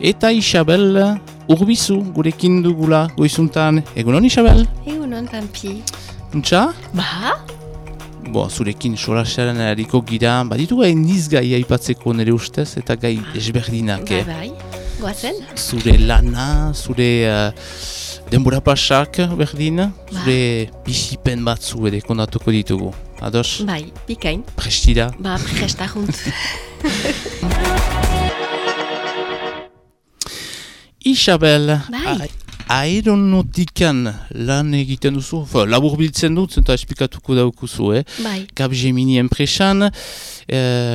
Eta Isabel Urbizu gurekin dugula goizuntan. Egunon Isabel? Egunon, Pampi. Untxa? Ba? Zurekin solasearen eriko gira, baditu gai nizgai aipatzeko nire ustez eta gai desberdinak. Bai, goazen? Zure lana, zure denbora pasak berdin, zure bizipen batzu ere kondatuko ditugu. Ados? Bai, bikain. Prestira? Ba, prestajunt. Isabel, Bai. aeronautikan lan egiten duzu, labur biltzen dut, eta esplikatuko daukuzu, Bai. Capgemini enpresan,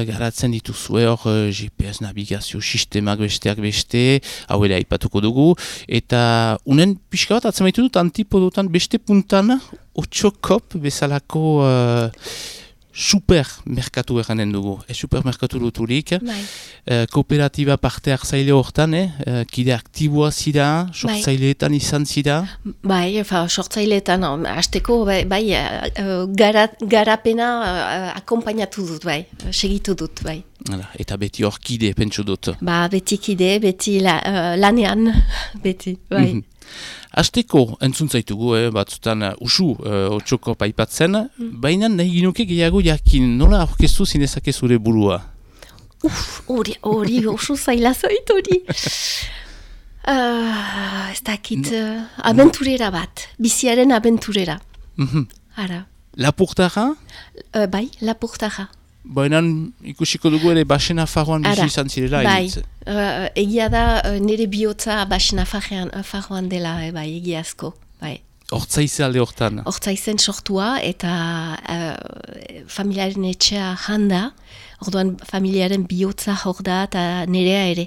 garatzen dituzue hor GPS navigazio sistemak besteak beste, hau ere aipatuko dugu, eta unen pixka bat atzamaitu dut antipodotan beste puntan, otxokop bezalako supermerkatu eranen dugu. Supermerkatu duturik, kooperatiba parte hartzaile hortan, kide aktiboa zira, sortzaileetan izan zira? Bai, sortzaileetan, hasteko, bai, garapena akompainatu dut, bai, segitu dut, bai. Eta beti hor kide, pentsu dut. Ba, beti kide, beti lanean, beti, bai. Hasteko, entzun zaitugu, batzutan usu otxoko paipatzen, baina nahi ginuke gehiago jakin, nola aurkeztu zinezake zure burua? Hori oso zaila zait hori. Ez dakit, abenturera bat, biziaren abenturera. Ara. Lapurtara? Bai, lapurtara. Baina ikusiko dugu ere Basen Nafarroan bizi izan zirela. Bai, egia da nire bihotza Basen Nafarroan dela, bai, egiazko. Bai. Hortzaize alde hortan? Hortzaizen sortua eta familiaren etxea janda, orduan familiaren bihotza hor da eta nirea ere.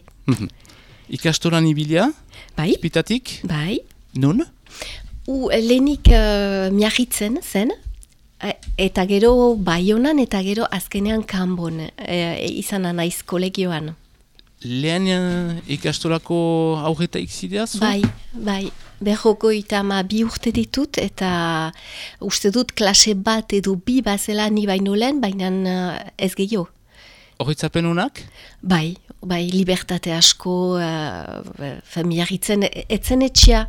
Ikastolan ibilia? Bai. Spitatik? Bai. Nun? Lehenik miagitzen zen, eta gero Baionan eta gero azkenean Kanbon izan naiz kolegioan. Lehen ikastolako aurretaik zideaz? Bai. Berrogeita bi urte ditut eta uste dut klase bat edo bi bazela ni baino lehen, baina ez gehiago. Horritzapen honak? Bai, libertate asko, miagitzen, etzen etxea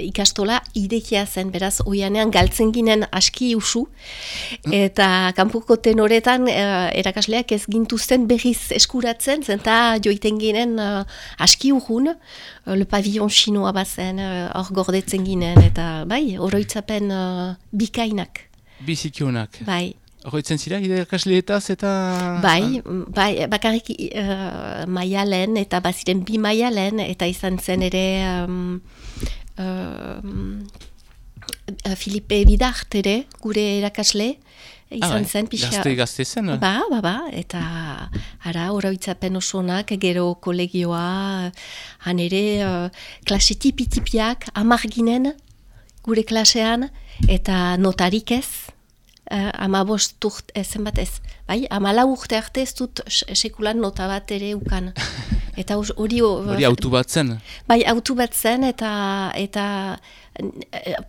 ikastola idekia zen, beraz, oianean galtzen ginen aski usu, eta kanpoko tenoretan erakasleak ez gintuzten berriz eskuratzen, zenta joiten ginen aski urrun, le pavillon chinoa bazen, hor gordetzen ginen, eta bai, oroitzapen bikainak. Bizikionak. Bai. Horretzen zira, irakasleetaz eta... Bai, bakarrik maialen eta baziren bi maialen eta izan zen ere Filipe Bidart ere, gure erakasle, izan zen pixa... Gazte zen? Ba, eta ara, oroitzapen osonak, gero kolegioa, han ere klase tipi-tipiak, 10 ginen, gure klasean, eta notarik ez. 15 urte, zenbat ez, bai, 14 urte arte ez dut sekulan nota bat ere ukan. Eta hori autu bat zen? Bai, autu bat zen, eta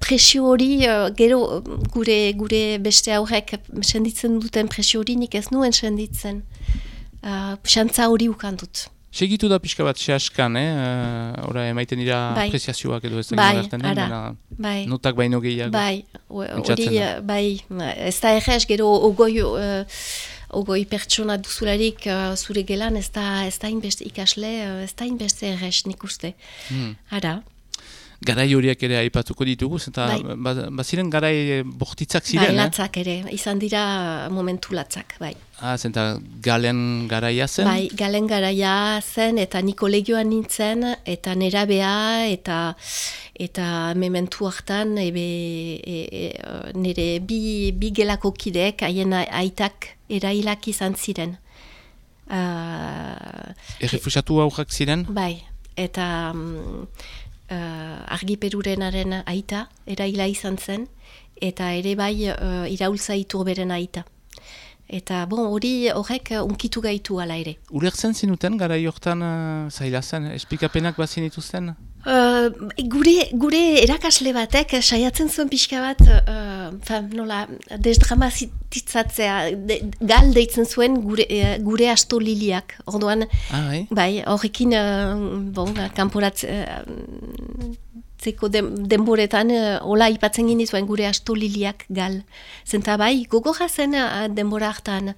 presio hori, gero gure beste aurrek senditzen duten presio hori nik ez nuen senditzen. Xantza hori ukan dut. Segitu da pixka bat sehaskan, ora emaiten dira apreziazioak edo ez da notak baino gehiago. Bai, ez da errez, gero ogoi pertsona duzularik zure gelan, ez da inbeste ikasle, ez da inbeste errez nik uste. Ara. Garai horiak ere aipatuko ditugu, eta baziren garai bortitzak ziren, Bai, latzak ere, izan dira momentu latzak, bai. Zenta galen garaia zen? Bai, galen garaia zen, eta ni kolegioan nintzen, eta nerabea, eta mementu hartan, nire bi gelako kideek, haien aitak erailak izan ziren. Errefusatu aurrak ziren? Bai, eta... Argiperurenaren aita, eraila izan zen, eta ere bai iraultza iturberen aita. Eta horrek unkitu gaitu ala ere. Ulertzen zinuten, gara jortan zaila zen, esplikapenak bazin dituzten? Gure erakasle batek saiatzen zuen pixka bat, nola, desdramatitzatzea, gal deitzen zuen gure asto liliak. Orduan, bai, horrekin, kanporatzeko denboretan, hola ipatzen gini zuen gure asto liliak gal. Zenta bai, gogorra zen denbora hartan.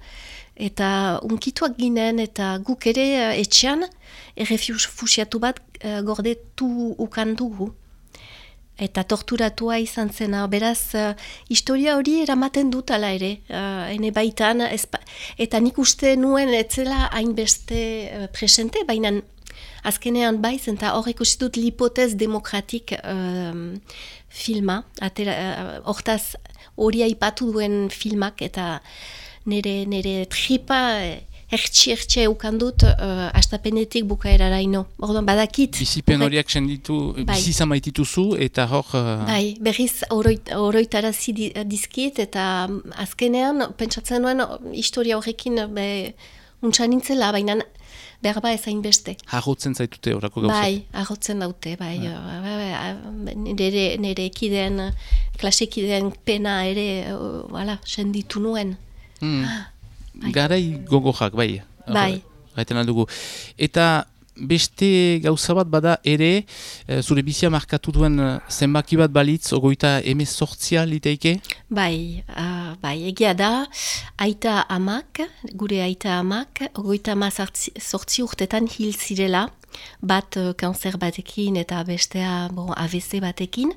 Eta unkituak ginen, eta guk ere etxean, errefusiatu bat gordetu ukandugu. Eta torturatua izan zena. Beraz, historia hori eramaten dut ala ere. Hene baitan, eta nik uste nuen etzela hainbeste presente, baina azkenean bai, zenta hor ikusi dut l'hipotez demokratik filma. Hortaz hori aipatu duen filmak, eta nire tripa ertsi eukandut astapenetik bukaeraraino. Orduan badakit. Bizipen horiak senditu, bizi zamaitituzu eta hor... Bai, berriz oroitarazi dizkit eta azkenean pentsatzen nuen historia horrekin untsa nintzela, baina berba ezain beste. Harrotzen zaitute horako gauzak? Bai, harrotzen daute, bai. Nire ekideen, klasekideen pena ere senditu nuen. Garai gogojak, bai. Bai. Gaiten aldugu. Eta beste gauza bat bada ere, zure bizia markatu duen zenbaki bat balitz, 38 liteike? Bai, egia da, gure aita amak, 38 urtetan hil zirela, bat kanzer batekin eta bestea AVC batekin.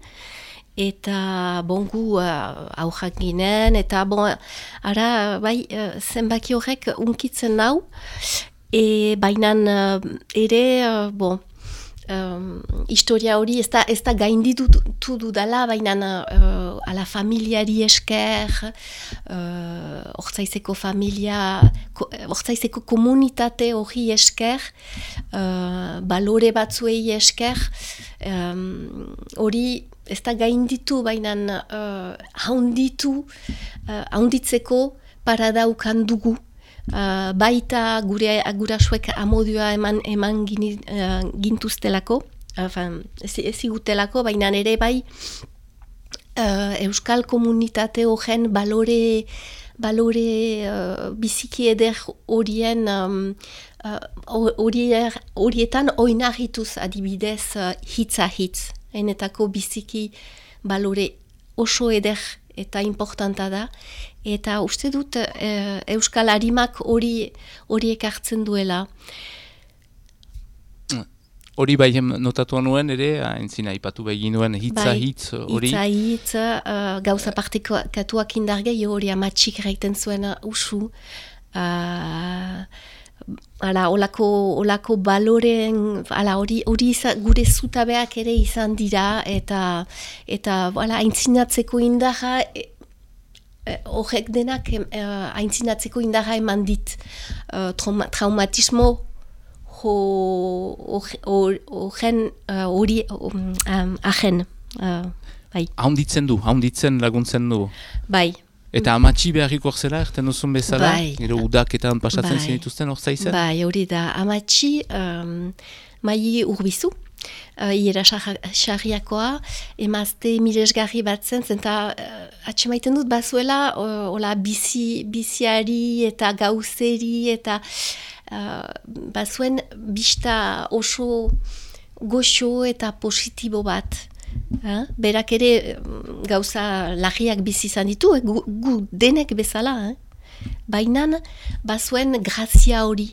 Eta gu aurrak ginen, eta bai, zenbaki horrek unkitzen nau, baina ere, historia hori ez da gainditu dudala, baina ala familiari esker, Ortzaizeko familia, Ortzaizeko komunitate hori esker, balore batzuei esker, hori ez da gainditu, baina haunditzeko paradaukan dugu. Baita gurasuek amodioa eman gintuztelako, ezigutelako, baina ere bai euskal komunitate horren balore biziki eder horietan oinarrituz adibidez hitza hitz. Enetako biziki balore oso eder eta importanta da, eta uste dut euskal harimak horiek hartzen duela. Hori bai notatuan nuen ere, entzina ipatu begin nuen hitza hitz hori. Hitza hitz, gauza partekatuak indargei hori amatxik gaiten zuen usu. Olako baloren, hori gure zutabeak ere izan dira, eta aintzinatzeko indarra, horrek denak aintzinatzeko indarra eman dit, traumatismo hori ahen. Haunditzen laguntzen du. Bai. Eta amatxi beharriko zela, erten duzun bezala? Bai. Gero udaketan pasatzen zinituzten hor zaizen? Bai, hori da. Amatxi maili urbizu, hiera xarriakoa, emazte miresgarri bat zen, zenta atxemaiten dut bazuela, biziari eta gauzeri, eta bazuen bista oso goxo eta positibo bat. Berak ere gauza lagiak bizi izan ditu, gu denek bezala. Baina bazuen grazia hori.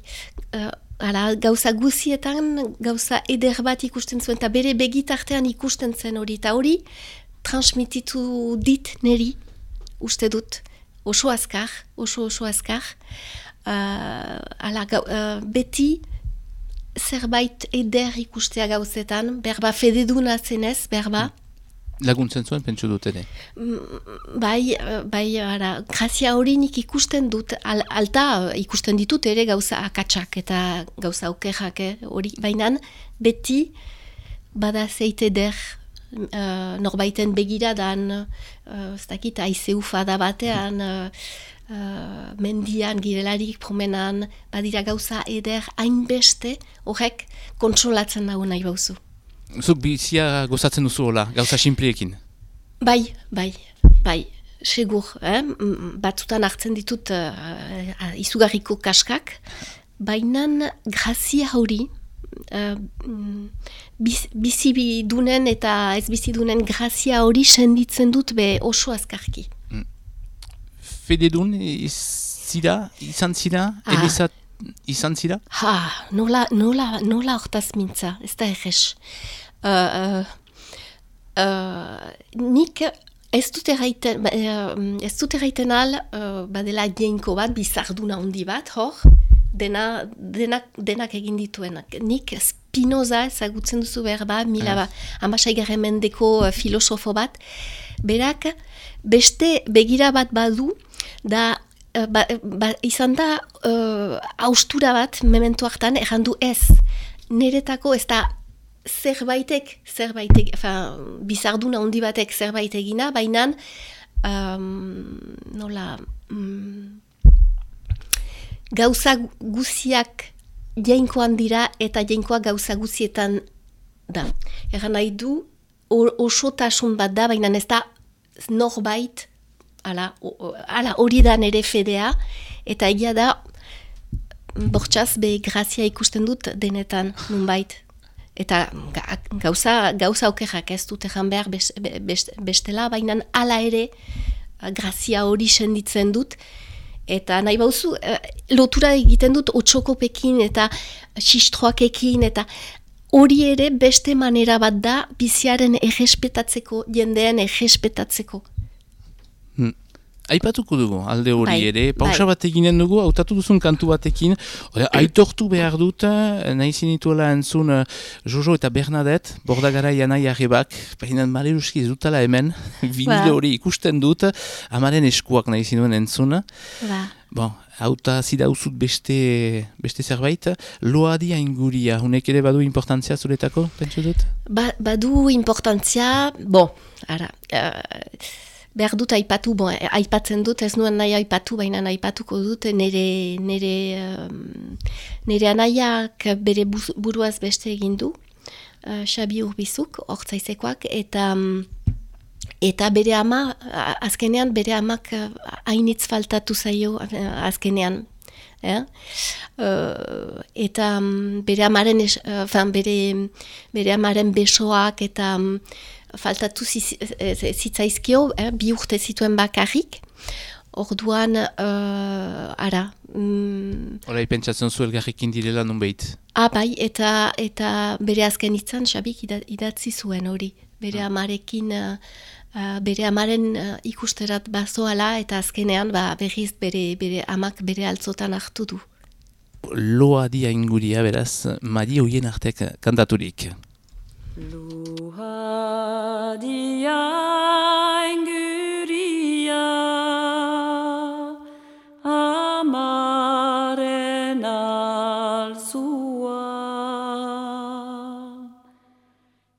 Gauza guzietan gauza eder bat ikusten zuen, eta bere begitartean ikusten zen hori. Eta hori transmititu dit neri, uste dut, oso azkar. Beti zerbait eder ikustea gauzetan, berba fededuna zenez, berba. Laguntzen zuen, pentsu dut ere? Bai, grazia hori nik ikusten dut, alta ikusten ditut ere gauza akatsak eta gauza okerrak hori, baina beti bada zeit eder norbaiten begiradan, ez dakit, aizeu fada batean, mendian, girelarik, promenan, badira gauza eder hainbeste, horrek kontsolatzen dago nahi bauzu. Zuk bizia gozatzen duzu hola, gauza simpleekin. Bai, segur, batzutan hartzen ditut izugarriko kaskak, baina grazia hori, bizidunen eta ez bizidunen grazia hori senditzen dut be oso azkarki. Fededun izan zira, elizat izan zira? Nola hortaz mintza, ez da egez. Nik ez dut erraiten al, badela jeinko bat, bizarduna handi bat, hor, denak egin dituenak. Nik Spinoza ezagutzen duzu behar ba, amasaigarren mendeko filosofo bat, berak beste begira bat badu, da izan da haustura bat memento hartan errandu ez. Niretako ez da zerbaitek, bizarduna handi batek zerbait egina, baina gauza guziak jainkoan dira eta jainkoa gauza guzietan da. Erran nahi du osotasun bat da, baina ez da norbait, hori da nere fedea, eta egia da bortxaz be grazia ikusten dut denetan nunbait. Eta gauza okerrak ez dut egan behar bestela, baina hala ere grazia hori senditzen dut. Eta nahi bauzu, lotura egiten dut otxokopekin eta xistroakekin, eta hori ere beste manera bat da biziaren errespetatzeko, jendean errespetatzeko. Aipatuko dugu, alde hori ere, pausa bat eginen dugu, hautatu duzun kantu batekin, aitortu behar dut, nahi zinituela entzun Jojo eta Bernadette, Bordagarai anai arrebak, baina maleruski ez dutala hemen, vinile hori ikusten dut, amaren eskuak nahi zinuen entzun. Bon, hauta zidauzut beste zerbait, loadi ainguria, hunek ere badu importantzia zuretako, pentsu dut? Badu importantzia, behar dut aipatu, aipatzen dut, ez nuen nahi aipatu, baina aipatuko dut, nire anaiak bere buruaz beste egin du, Xabi Urbizuk, hortzaizekoak, eta bere ama, azkenean bere amak hainitz faltatu zaio azkenean. Eta bere amaren besoak eta faltatu zitzaizkio, bi urte zituen bakarrik. Orduan, Horai pentsatzen zu elgarrikin direla nunbait. Bai, eta bere azken hitzan Xabik idatzi zuen hori. Bere amarekin, bere amaren ikusterat bazoala, eta azkenean berriz bere amak bere altzotan hartu du. Loadi ainguria, beraz, Mari hoien artek kantaturik. Loadi ainguria amaren alzua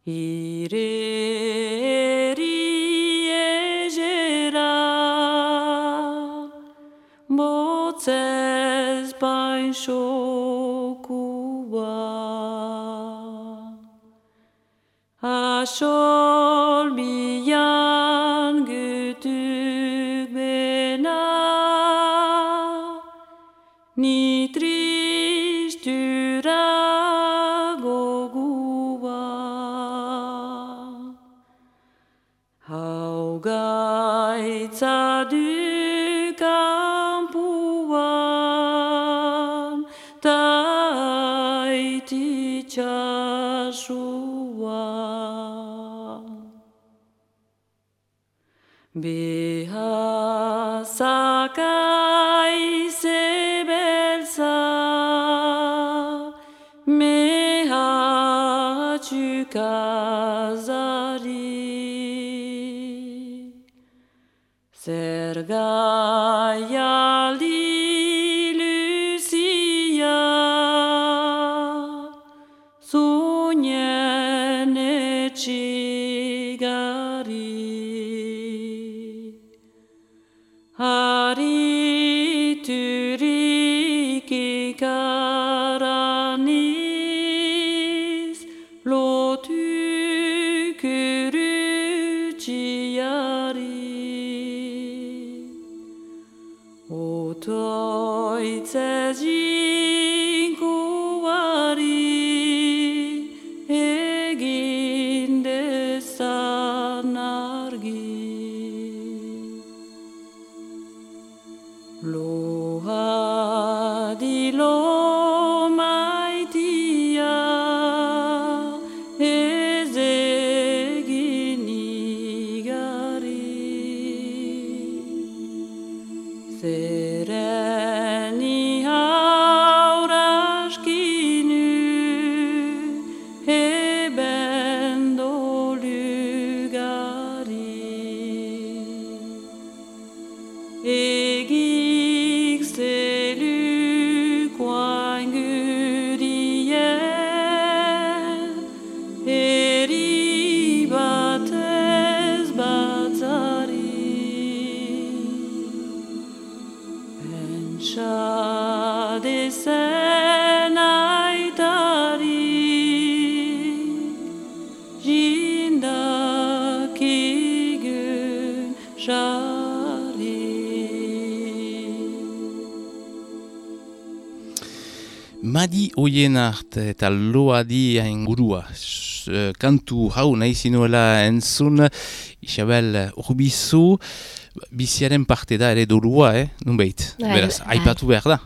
ireri egera motzez bainxokua Asol bian gütük bena ni tristura gogua Haugaitza du kampuan taiti txasua Behazakai zebelza mehatxukazari Zergaialdi luzia zunien etxigari Hariturik ikaraniz lotu Madi Oienart eta Loadi ingurua. Kantu hau nahi zinuela entzun, Isabel Urbizu, biziaren parte da ere dolua, nunbait. Beraz, aipatu behar da.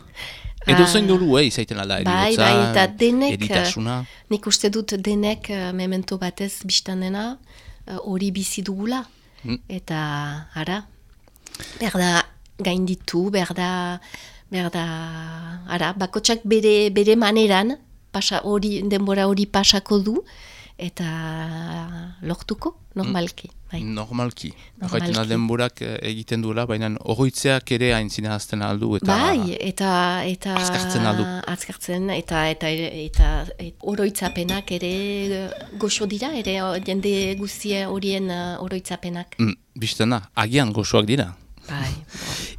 Edo zein dolu, izaiten alda, eriotza, eta denek, eritasuna. Nik uste dut denek memento batez biztanena hori bizi dugula. Eta, ara, behar da gainditu, behar da, ara, bakotsak bere maneran, denbora hori pasako du, eta lortuko, normalki. Normalki. Jaitena denborak egiten duela, baina oroitzeak ere aintzina azten aldu. Eta eta azkartzen aldu. Azkartzen, eta oroitzapenak ere goxo dira, ere jende guztie horien oroitzapenak. Bistena, agian goxoak dira. Bai.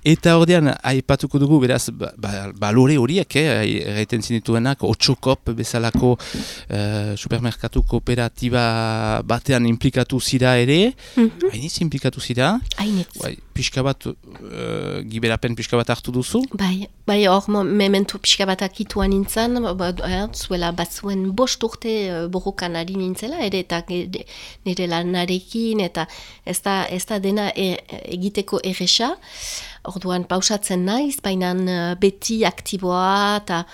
Eta ordean, aipatuko dugu, beraz, balore horiek, erraiten zinituenak, Otxokop bezalako supermerkatu kooperatiba batean implikatu zira ere, hainitz implikatu zira? Hainitz. Pixka bat, giberapen pixka bat hartu duzu? Bai, hor memento pixka bat akituan nintzen, zuela batzuen 5 urte borrokan ari nintzela, ere eta nire lanarekin, eta ez da dena egiteko erresa. Orduan pausatzen naiz, baina beti aktiboa eta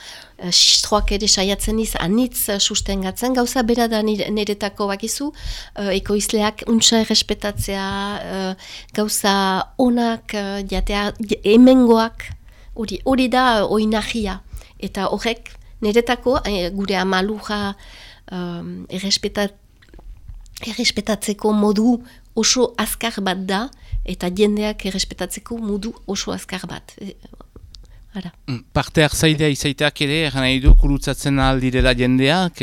sistroak ere saiatzen niz anitz sustengatzen. Gauza bera da niretako bakizu, ekoizleak untsa errespetatzea, gauza onak, jatea hemengoak, hori da oinahia. Eta horrek niretako gure amaluja errespetatzeko modu oso azkar bat da, eta jendeak errespetatzeko modu oso azkar bat. Parte hartzailea izaiteak ere, eran nahi du, kurutzatzen aldirela jendeak,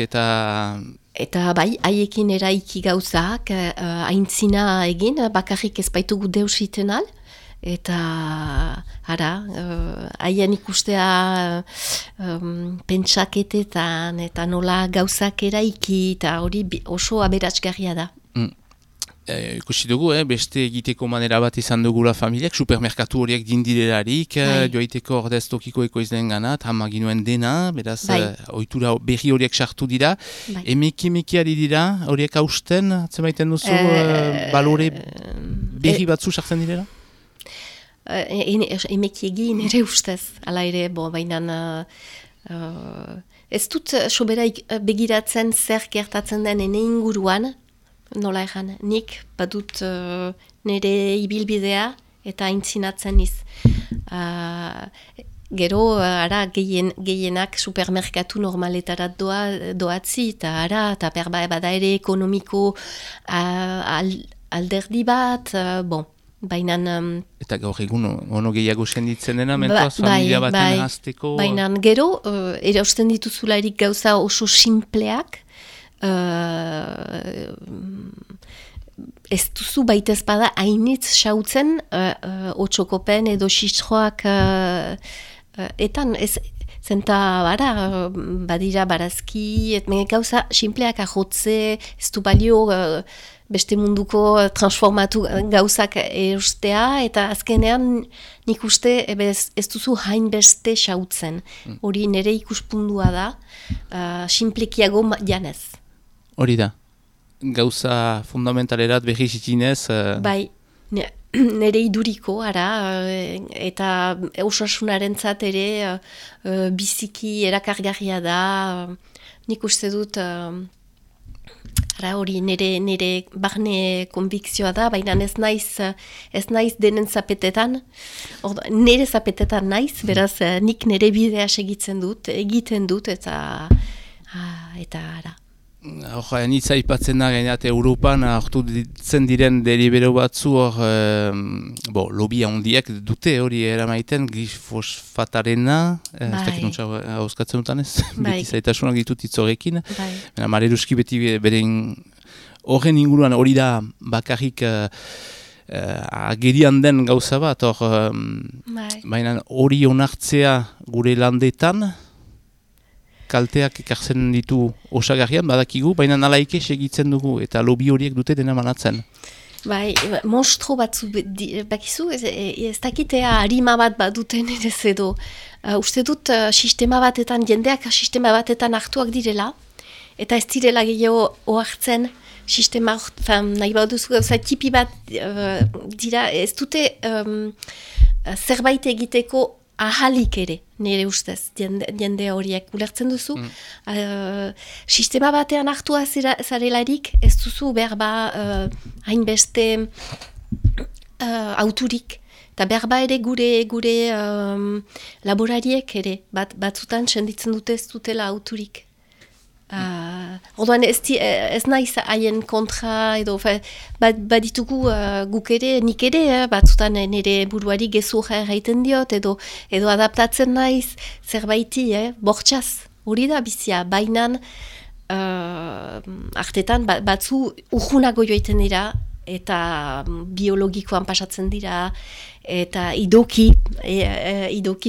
Eta bai, haiekin eraiki gauzak, aintzina egin, bakarrik ez baitugu deus iten al, eta haien ikustea pentsaketetan, eta nola gauzak eraiki, eta hori oso aberatsgarria da. Ikusi dugu, beste egiteko manera bat izan dugula familiak, supermerkatu horiek dindirelarik, joaiteko ordez tokiko ekoizleen ganat, hamaginuen dena, beraz, ohitura berri horiek sartu dira. Emeki ari dira, horiek hausten, atzemaiten duzu, balore berri batzu sartzen direla? Emeki egin ere ustez, ala ere, baina ez dut soberaik begiratzen zer gertatzen den ene inguruan, nola egan, nik badut nire ibilbidea eta aintzinatzen niz. Gero, gehienak supermerkatu normaletarat doatzi, eta bada ere ekonomiko alderdi bat, baina... Eta gaur egun ono gehiago senditzen dena, mentoaz familia baten hasteko... Baina gero, erausten dituzularik gauza oso simpleak, ez duzu baitez bada hainitz xautzen Otxokopen edo sistroak etan ez zenta badira barazki gauza simpleak ahotze ez du balio beste munduko transformatu gauzak erostea eta azkenean nik uste ez duzu hainbeste xautzen hori nire ikuspundua da simplekiago janez. Hori da, gauza fundamentalerat behi zitinez... Bai, nire iduriko, eta osasunarentzat ere biziki erakargarria da, nik uste dut, hori nire barne konbikzioa da, baina ez naiz denen zapetetan, nire zapetetan naiz, beraz nik nire bidea egiten dut, eta ara. Nitza ipatzen da gainat Europan hartu ditzen diren delibero batzu lobia handiak dute hori eramaiten glifosfatarena, ez dakit nuntza hauskatzen dutan ez, beti zaitasunak ditut itzorekin, Mareruski beti beren horren inguruan hori da bakarrik agerian den gauza bat, baina hori onartzea gure landetan, kalteak ekartzen ditu osagarrian, badakigu, baina nalaike segitzen dugu, eta lobi horiek dute dena manatzen. Bai, monstro batzu, bakizu, ez dakitea harima bat baduten ere edo. Uste dut sistema batetan, jendeak sistema batetan hartuak direla, eta ez direla gehiago ohartzen sistema, nahi baduzu gauza tipi bat dira, ez dute zerbait egiteko ahalik ere, nire ustez, jende horiek ulertzen duzu. Sistema batean hartua zarelarik, ez duzu berba hainbeste auturik. Eta berba ere gure laborariek ere, batzutan senditzen dute ez dutela auturik. Orduan ez naiz haien kontra edo baditugu guk ere, nik ere, batzutan nire buruari gezurra erraiten diot edo adaptatzen naiz zerbaiti, bortxaz, hori da bizia, bainan artetan batzu urgunago joiten dira eta biologikoan pasatzen dira eta idoki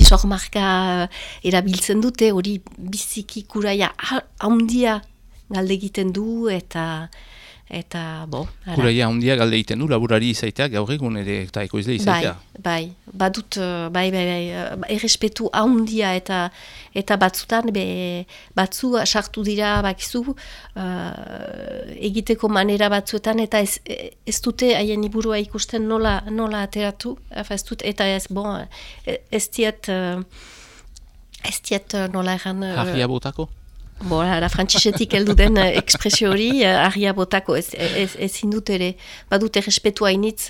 sormarka erabiltzen dute, hori biziki kuraia handia galde egiten du eta bo. Kuraia handia galde egiten du, laborari izaitea, gaur egun ere eta ekoizle izaitea. Bai, badut, errespetu handia eta batzutan, batzu sartu dira, bakizu, egiteko manera batzuetan, eta ez dute haien iburua ikusten nola ateratu, ez dut, eta ez diet nola egan... Harria botako? Bora, frantzisetik heldu den ekspresio hori, harria botako ezin dut ere, badut errespetu hainitz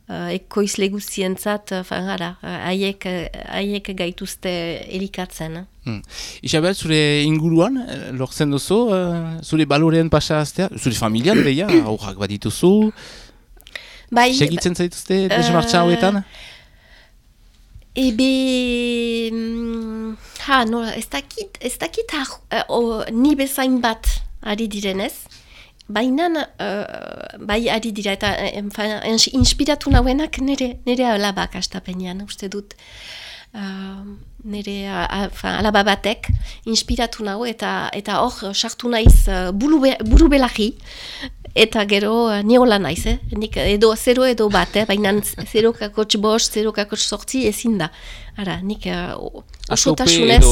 ekoizle guztientzat, haiek gaituzte elikatzen. Isabel, zure inguruan, lortzen duzu, zure balorean pasaztea, zure familian beha, aurrak badituzu, segitzen zaituzte desmartza hauetan? Ez dakit ni bezain bat ari direnez, baina bai ari dira eta inspiratu nauenak nire alabak astapenean, uste dut. Nire alaba batek inspiratu nau eta hor sartu naiz buru belarri eta gero niola naiz, nik edo 0 edo bat, baina 0,5, 0,8 ezin da. Ara, nik osotasunez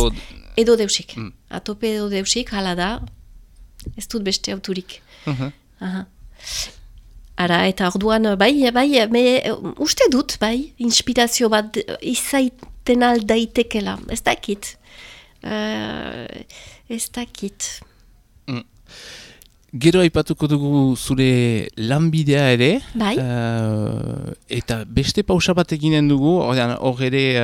edo deusik. Atope edo deusik, hala da, ez dut beste auturik. Ara, eta orduan, uste dut, inspirazio bat izaiten aldaitekela, ez dakit. Gero aipatuko dugu zure lanbidea ere, eta beste pausa bat eginen dugu, hor ere,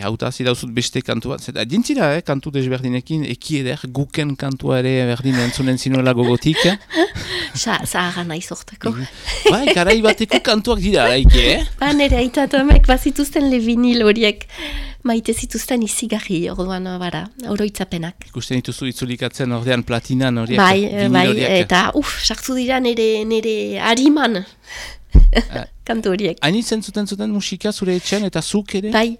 hautazi dauzut beste kantu bat, zeta dintzira, kantu desberdinekin, ekieder, guken kantua ere berdin entzunen zinuela gogotik. Zahara nahi sorteko. Garai bateko kantuak dira, laike, nere aitatamek bazituzten le vinil horiek. Maite zituzten izigarri, orduan, oroitzapenak. Ikusten dituzu itzulikatzen ordean platinan horiek? Bai, eta sartu dira nire hariman kantu horiek. Hainitzen zuten musika zure etxean eta zuk ere? Bai,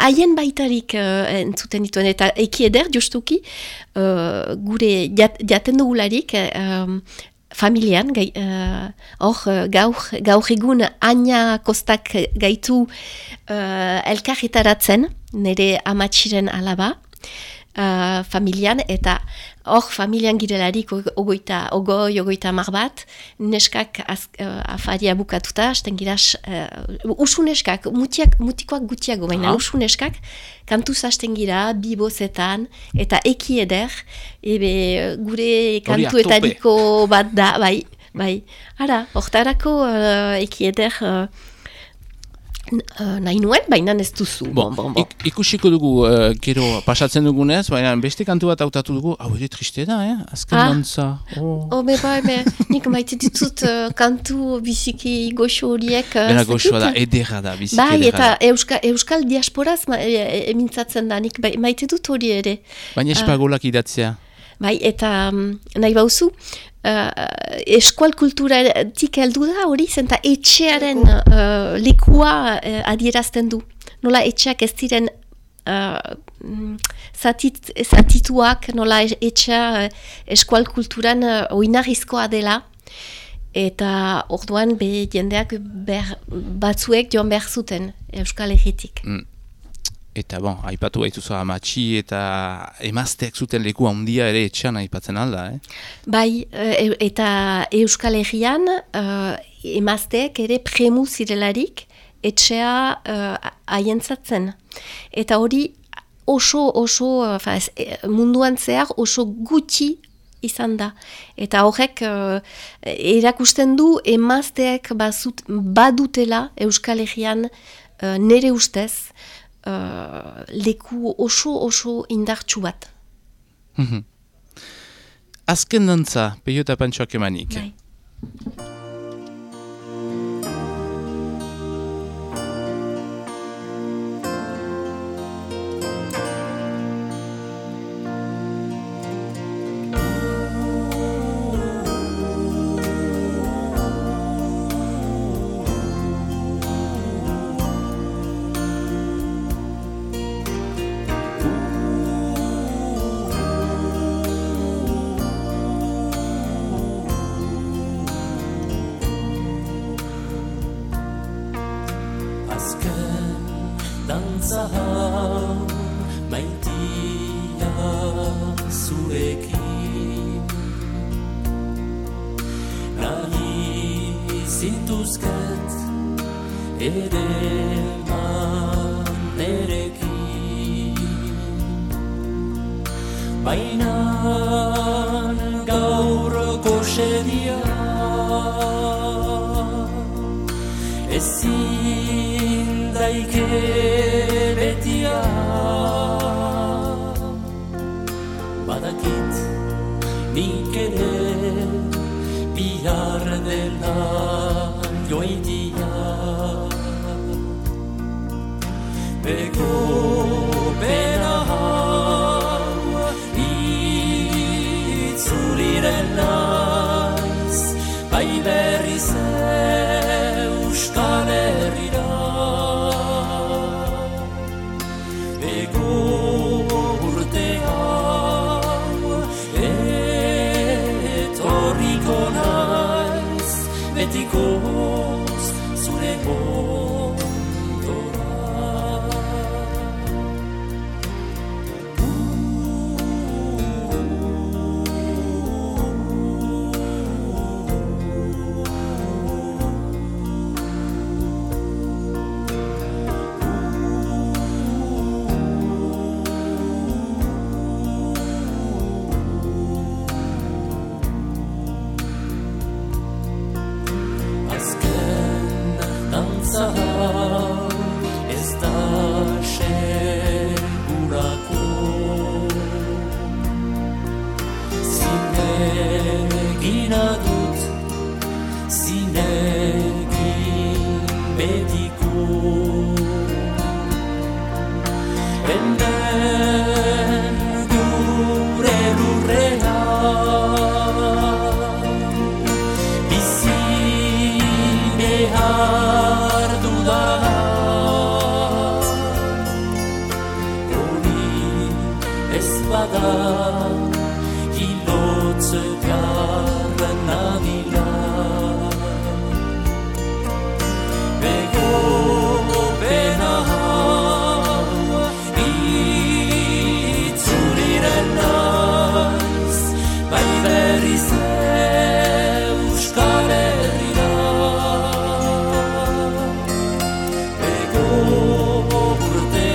haien baitarik entzuten dituen, eta ekieder justuki gure jaten dugularik familian, gaur egun Aina Kostak gaitu elkarretaratzen, nire amatxiren alaba, familian, eta hor familian girelarik ogoita mar bat, neskak afaria bukatuta, hasten gira, usu neskak, mutikoak gutiago, baina usu neskak, kantuz hasten gira, bibozetan, eta ekieder, gure kantuetariko bat da, bai. Ara, hortarako ekieder nahi nuen, baina ez duzu. Ikusiko dugu, gero pasatzen dugunez, baina beste kantu bat hautatu dugu, hau ere triste da, azken mantza. Nik maite ditut kantu biziki goxo horiek. Bera goxoa da, edera da, biziki edera da. Eta euskal diasporaz emintzatzen da, nik maite dut hori ere. Baina espagolak idatzea. Bai, eta nahi bauzu, eskual kulturatik heldu da hori, zenta etxearen lekua adierazten du. Nola etxeak ez diren zatituak, nola etxea eskual kulturan oinarrizkoa dela, Eta orduan jendeak batzuek joan behar zuten Euskal Herritik. Eta aipatu baituzu amatxi eta emazteak zuten leku handia ere etxean aipatzen alda, Bai, eta Euskal Herrian emazteak ere premu zirelarik etxea haientzatzen. Eta hori oso munduan zehar oso gutxi izan da. Eta horrek erakusten du emazteak badutela Euskal Herrian nere ustez leku oso indartsu bat. Azken dantza, Peio eta Pantxoak emanik. Bai. Dantza hau maitia zurekin nahi zintuzket edeman nerekin baina gaur goxedia ezin daike betia badakit nik ere bihar dela joitia bego bera hau itzuliren naiz bai berriz Euskal Herrira bego urte hau etorriko naiz betikoz zure ondora ez da segurako zinegin adut zinegin betiko hemen gure lurrean bizi behar bada hilotz garran nabila bego bena hau itzuliren naiz bai berriz Euskal Herrira bego urte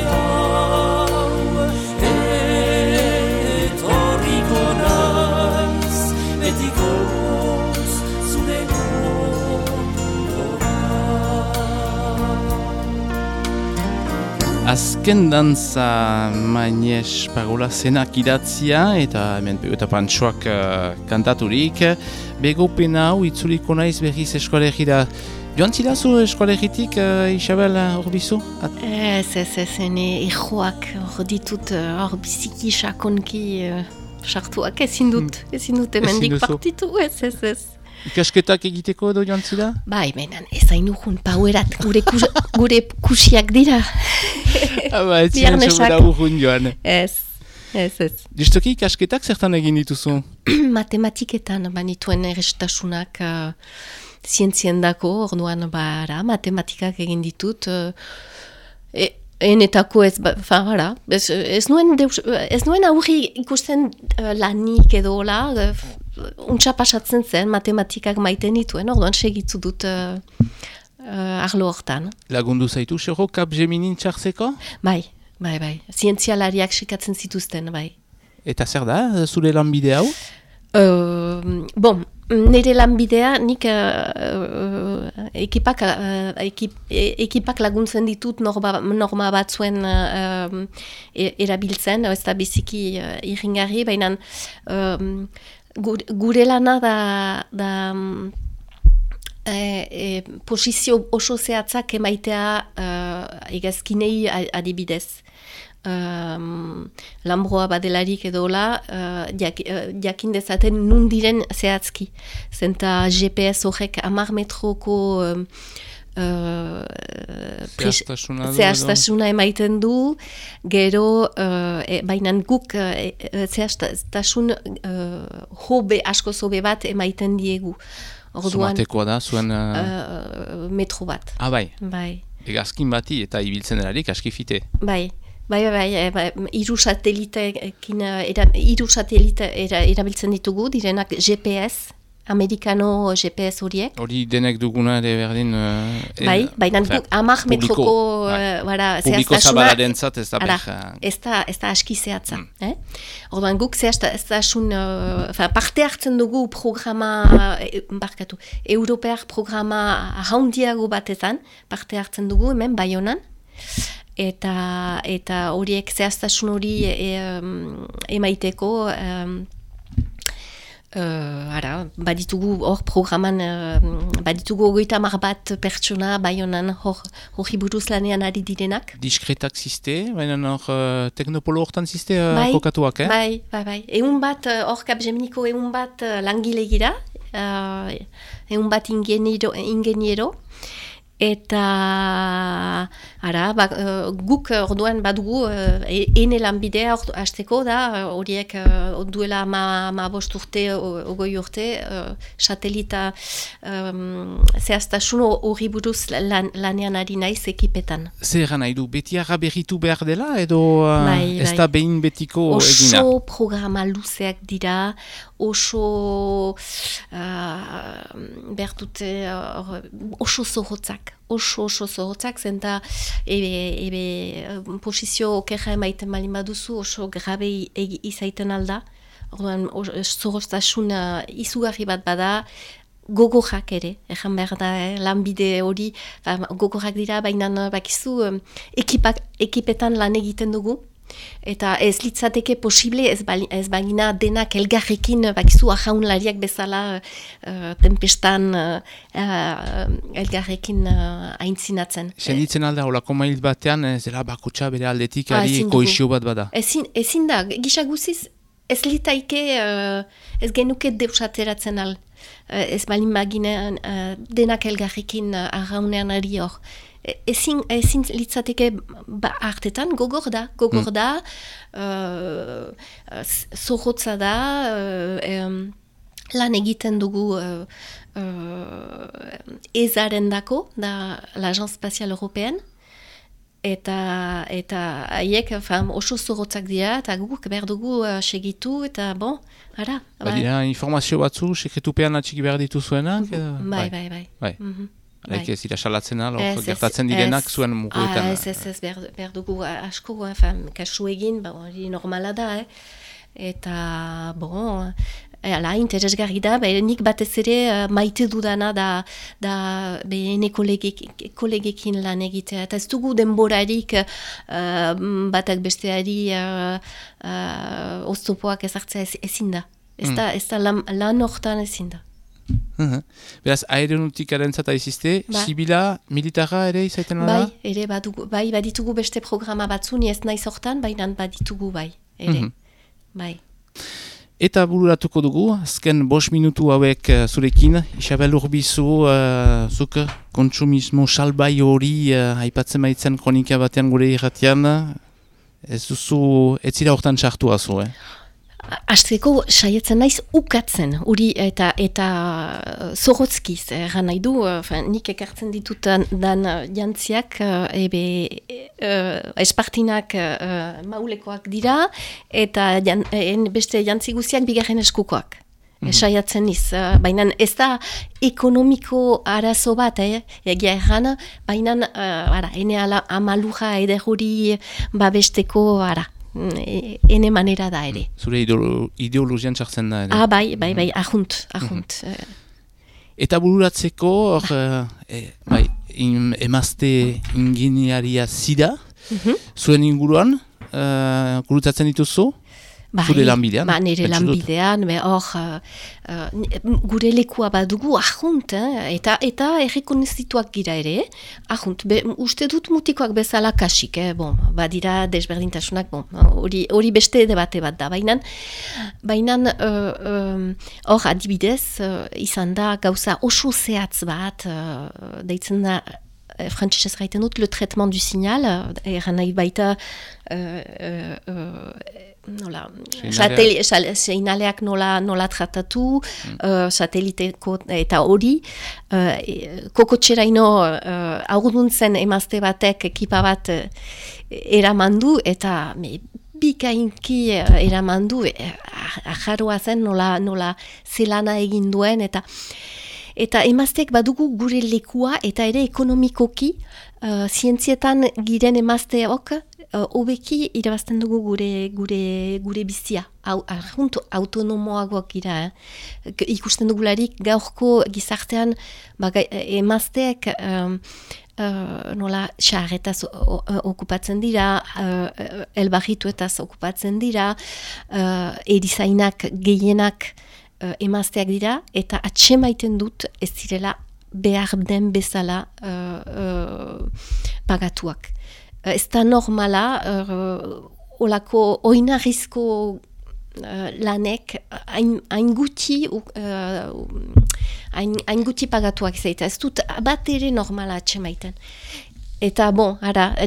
Azken dantza Mañez Parola zenak idatzia eta hemen Peio eta Pantxoak kantaturik. Begopena hau itzuliko naiz berriz Euskal Herrira. Joan zilazu Euskal Herritik, Isabel Orbizu? Ez, ene ejoak hor ditut hor biziki sakonki sartuak ezin dut emendik partitu, ez. Ikasketak egiteko edo joan zira? Bai, menan, ez hain urrun, pauerat, gure kusiak dira. Ez ziren segura urrun joan. Ez. Ez. Justoki ikasketak zertan egin dituzu? Matematiketan banituen errestasunak zientziendako, orduan matematikak egin ditut. Enetako ez nuen aurri ikusten lanik edo untsa pasatzen zen matematikak maiten dituen, orduan segitzu dut arlo hortan. Lagundu zaitu, xero, Capgeminin txartzeko? Bai. Zientzialariak sekatzen zituzten, bai. Eta zer da, zure lanbide hau? Nire lanbidea, nik ekipak laguntzen ditut norma batzuen erabiltzen, ez da biziki irringarri, baina gure lana da posizio oso zehatzak emaitea egazkinei adibidez. Lambroa badelarik edola, jakin dezaten nun diren zehatzki. Zenta GPS horrek 10 metroko zehaztasuna emaiten du, gero baina guk zehaztasun asko zobe bat emaiten diegu. Somatekoa da, zuen... metro bat. Bai. Egazkin bati eta ibiltzen delarik aski fite. Bai, hiru satelite erabiltzen ditugu, direnak GPS, amerikano GPS horiek. Hori denek duguna ere berdin... baina 10 metroko publiko zabalaren zat ez da ez da aski zehatza. Orduan guk zehaztasun parte hartzen dugu programa, europear programa haundiago batetan, parte hartzen dugu hemen Baionan, eta horiek zehaztasun hori emaiteko baditugu hor programan baditugu 30 bat pertsona Baionan hori buruz lanean ari direnak. Diskretak ziste, baina hor teknopolo hortan ziste kokatuak, Bai. Egun bat hor Capgeminiko egun bat langile gira, egun bat ingeniero, eta guk orduan badugu ene lanbidea hasteko da horiek duela 15 urte, 20 urte satelita zehaztasun hori buruz lanean ari naiz ekipetan. Zer nahi du, beti berritu behar dela edo ez da behin betiko egina? Oso programa luzeak dira, oso bertute oso zorrotzak, zenta posizio okerra emaiten malin baduzu oso grabe izaiten alda. Orduan zorroztasun izugarri bat bada, gogorrak ere, egan behar da, lanbide hori gogorrak dira, baina bakizu ekipetan lan egiten dugu. Eta ez litzateke posible ez bagina denak elgarrekin bakizu ajaunlariak bezala tempestan elgarrekin aintzinatzen. Senditzen alda, holako mail batean ez dela bakutsa bere aldetik ari koizio bat bada? Ezin da, gisa guziz ez litaike ez genuke deusateratzen al. Ez balin baginean denak elgarrekin arraunean ari hor. Ezin litzateke hartetan, gogor da, zorrotza da, lan egiten dugu ezaren dako, da l'Agence Spatiale Européenne, eta haiek oso zorrotzak dira, eta guk behar dugu segitu, eta Badira informazio batzu, sekretupean atxiki behar dituzuenak? Bai. Haik ez dira salatzen gertatzen direnak zuen muguetan. Ez, behar dugu asko, kasu egin, hori normala da, eta, interesgarri da, nik batez ere maite dudana da behene kolegekin lan egitea, eta ez dugu denborarik batak besteari oztopoak ezartzea ezin da. Ez da lan hortan ezin da. Beraz, aeronautikaren zata izizte, zibila, militarra ere izaiten da? Bai, baditugu beste programa batzu, ni ez naiz hortan, baina baditugu ere. Eta bururatuko dugu, azken 5 minutu hauek zurekin, Isabel Urbizu, zuk kontsumismo salbai hori aipatzen baitzen kronika batean gure irratian, ez duzu, ez zira hortan sartua zu, Azteko saietzen naiz ukatzen, uri eta zorrotzkiz, egan nahi du, nik ekartzen ditutan dan jantziak, espartinak maulekoak dira, eta beste jantzi guztiak bigarren eskukoak. Saiatzen niz, baina ez da ekonomiko arazo bat, egia erran, baina ene amaluja ederhuri babesteko, ene manera da ere. Zure ideologian sartzen da ere. Bai, ahunt. Eta bururatzeko, emazte ingeniaria zida, zuen inguruan, gurutatzen dituzu? Zure lanbidean? Nire lanbidean, gure lekua badugu ahunt, eta errekonezituak gira ere, ahunt, uste dut mutikoak bezala kasik, badira desberdintasunak, hori beste debate bat da, baina hor adibidez, izan da gauza oso zehatz bat, deitzen da, frantzesez gaiten dut, le traitement du signal, eran nahi baita, seinaleak nola tratatu, sateliteko eta hori, kokotxeraino aurduntzen emazte batek ekipa bat eramandu, eta bikainki eramandu, ajarroa zen nola zelana egin duen, eta emazteek badugu gure lekua eta ere ekonomikoki zientzietan giren emazteok hobeki irabazten dugu gure bizia. Autonomoagoak gira. Ikusten dugularik gaurko gizartean emazteek nola xarretaz okupatzen dira, elbarrituetaz okupatzen dira, erizainak gehienak emazteak dira, eta atsemaiten dut ez direla behar den bezala pagatuak. Ez da normala, olako oinarrizko lanek hain guti pagatuak zaita. Ez dut bat ere normala atsemaiten. Eta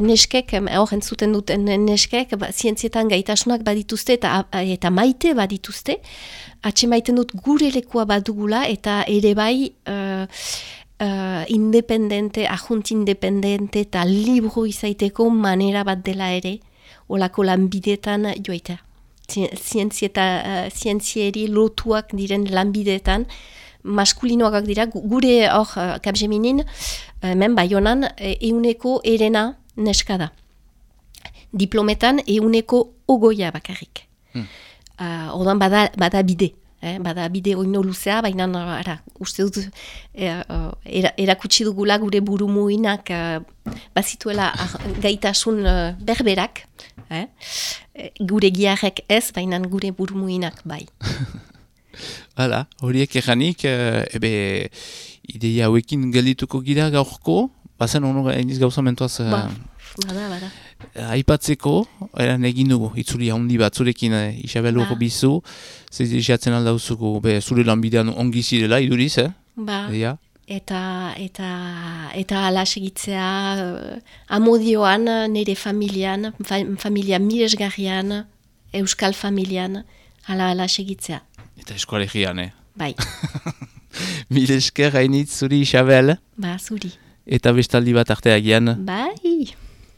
neskek, hor entzuten duten neskek, zientzietan gaitasunak badituzte eta maite badituzte, atsemaiten dut gure lekua badugula eta ere bai ahunt independente eta libro izaiteko manera bat dela ere, olako lanbidetan joaita. Zientzieri lotuak diren lanbidetan, maskulinoak dira, gure hor Capgeminin, hemen Baionan, euneko erena neska da. Diplometan euneko ogoia bakarrik. Ordan bada bide. Bada bide oino luzea, baina uste dut erakutsi dugula gure burumuinak bazituela gaitasun berberak. Gure giarrek ez, baina gure burumuinak bai. Hala, horiek eganik, ideia hauekin geldituko gira gaurko, bazen honor eniz gauza mentuaz Bada. Aipatzeko, eran egin dugu, itzuli handi bat, zurekin Isabel bizu, jatzen aldauzuko, zure lanbidean ongi zirela, iduriz, Eta ala segitzea amodioan, nire familian, familia miresgarrian, euskal familian, ala segitzea. Eta eskoalegian, Bai. Miresker hainitz zuri, Isabel. Zuri. Eta bestaldi bat arteagian. Bai.